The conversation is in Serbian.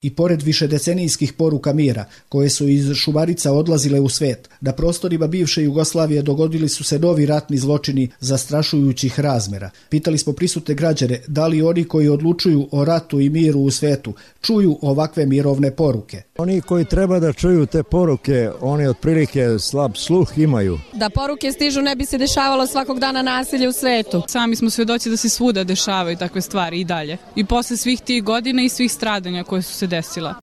I pored višedecenijskih poruka mira, koje su iz Šumarica odlazile u svet, na prostorima bivše Jugoslavije dogodili su se novi ratni zločini zastrašujućih razmera. Pitali smo prisutne građane da li oni koji odlučuju o ratu i miru u svetu čuju ovakve mirovne poruke. Oni koji treba da čuju te poruke, oni otprilike slab sluh imaju. Da poruke stižu ne bi se dešavalo svakog dana nasilje u svetu. Sami smo svedoci da se svuda dešavaju takve stvari i dalje. I posle svih tih godina i svih stradanja koje su se desila.